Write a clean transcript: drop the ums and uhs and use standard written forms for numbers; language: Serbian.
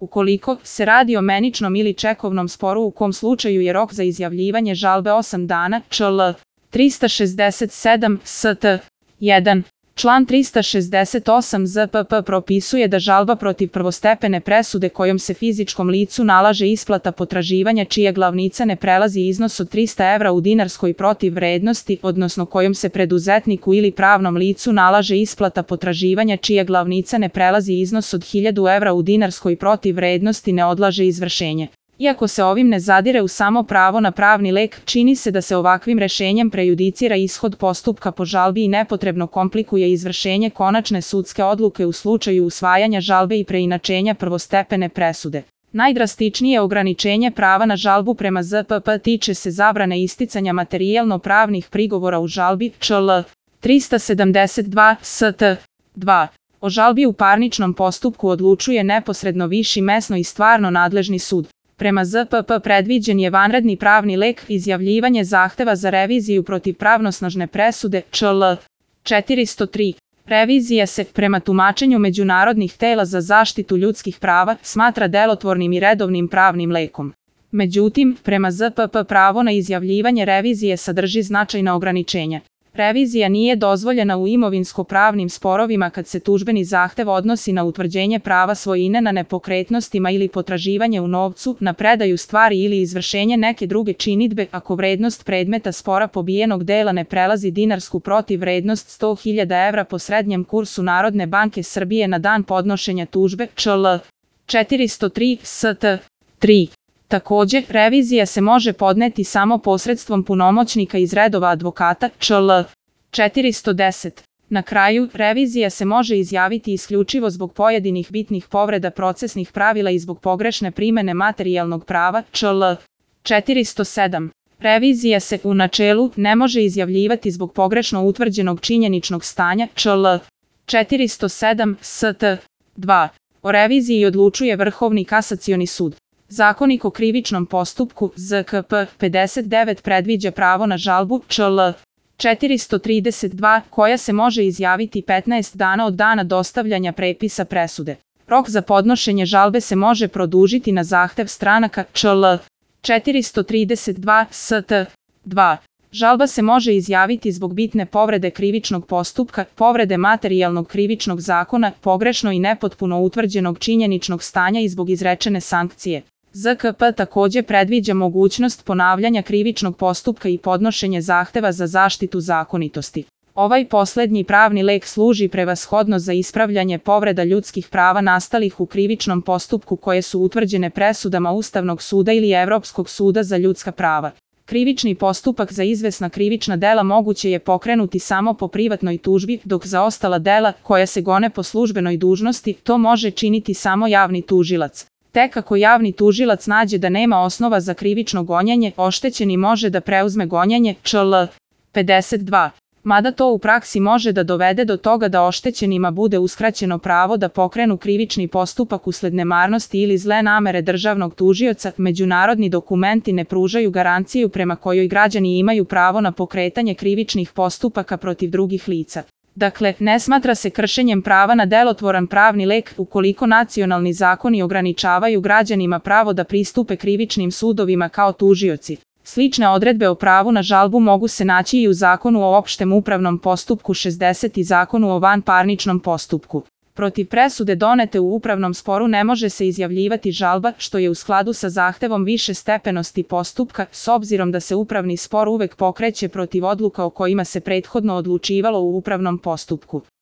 Ukoliko se radi o meničnom ili čekovnom sporu u kom slučaju je rok za izjavljivanje žalbe 8 dana, čl. 367 st. 1. Član 368 ZPP propisuje da žalba protiv prvostepene presude kojom se fizičkom licu nalaže isplata potraživanja čija glavnica ne prelazi iznos od 300 evra u dinarskoj protivvrednosti, odnosno kojom se preduzetniku ili pravnom licu nalaže isplata potraživanja čija glavnica ne prelazi iznos od 1000 evra u dinarskoj protivvrednosti, ne odlaže izvršenje. Iako se ovim ne zadire u samo pravo na pravni lek, čini se da se ovakvim rešenjem prejudicira ishod postupka po žalbi i nepotrebno komplikuje izvršenje konačne sudske odluke u slučaju usvajanja žalbe i preinačenja prvostepene presude. Najdrastičnije ograničenje prava na žalbu prema ZPP tiče se zabrane isticanja materijalno-pravnih prigovora u žalbi, čl. 372 st. 2. O žalbi u parničnom postupku odlučuje neposredno viši mesno i stvarno nadležni sud. Prema ZPP predviđen je vanredni pravni lek, izjavljivanje zahteva za reviziju protiv pravnosnažne presude, čl. 403. Revizija se, prema tumačenju međunarodnih tela za zaštitu ljudskih prava, smatra delotvornim i redovnim pravnim lekom. Međutim, prema ZPP pravo na izjavljivanje revizije sadrži značajna ograničenja. Revizija nije dozvoljena u imovinsko-pravnim sporovima kad se tužbeni zahtev odnosi na utvrđenje prava svojine na nepokretnostima ili potraživanje u novcu, na predaju stvari ili izvršenje neke druge činidbe, ako vrednost predmeta spora pobijenog dela ne prelazi dinarsku protivvrednost 100.000 evra po srednjem kursu Narodne banke Srbije na dan podnošenja tužbe, čl. 403 st. 3. Takođe, revizija se može podneti samo posredstvom punomoćnika iz redova advokata, čl. 410. Na kraju, revizija se može izjaviti isključivo zbog pojedinih bitnih povreda procesnih pravila i zbog pogrešne primene materijalnog prava, čl. 407. Revizija se, u načelu, ne može izjavljivati zbog pogrešno utvrđenog činjeničnog stanja, čl. 407 st. 2. O reviziji odlučuje Vrhovni kasacioni sud. Zakonik o krivičnom postupku, ZKP 59 predviđa pravo na žalbu, čl. 432, koja se može izjaviti 15 dana od dana dostavljanja prepisa presude. Rok za podnošenje žalbe se može produžiti na zahtev stranaka, čl. 432 st. 2. Žalba se može izjaviti zbog bitne povrede krivičnog postupka, povrede materijalnog krivičnog zakona, pogrešno i nepotpuno utvrđenog činjeničnog stanja i zbog izrečene sankcije. ZKP takođe predviđa mogućnost ponavljanja krivičnog postupka i podnošenje zahteva za zaštitu zakonitosti. Ovaj poslednji pravni lek služi prevashodno za ispravljanje povreda ljudskih prava nastalih u krivičnom postupku koje su utvrđene presudama Ustavnog suda ili Evropskog suda za ljudska prava. Krivični postupak za izvesna krivična dela moguće je pokrenuti samo po privatnoj tužbi, dok za ostala dela, koja se gone po službenoj dužnosti, to može činiti samo javni tužilac. Tek ako javni tužilac nađe da nema osnova za krivično gonjenje, oštećeni može da preuzme gonjenje, čl. 52. Mada to u praksi može da dovede do toga da oštećenima bude uskraćeno pravo da pokrenu krivični postupak usled nemarnosti ili zle namere državnog tužioca, međunarodni dokumenti ne pružaju garanciju prema kojoj građani imaju pravo na pokretanje krivičnih postupaka protiv drugih lica. Dakle, ne smatra se kršenjem prava na delotvoran pravni lek ukoliko nacionalni zakoni ograničavaju građanima pravo da pristupe krivičnim sudovima kao tužioci. Slične odredbe o pravu na žalbu mogu se naći i u Zakonu o opštem upravnom postupku 60 i Zakonu o vanparničnom postupku. Protiv presude donete u upravnom sporu ne može se izjavljivati žalba, što je u skladu sa zahtevom više stepenosti postupka, s obzirom da se upravni spor uvek pokreće protiv odluka o kojima se prethodno odlučivalo u upravnom postupku.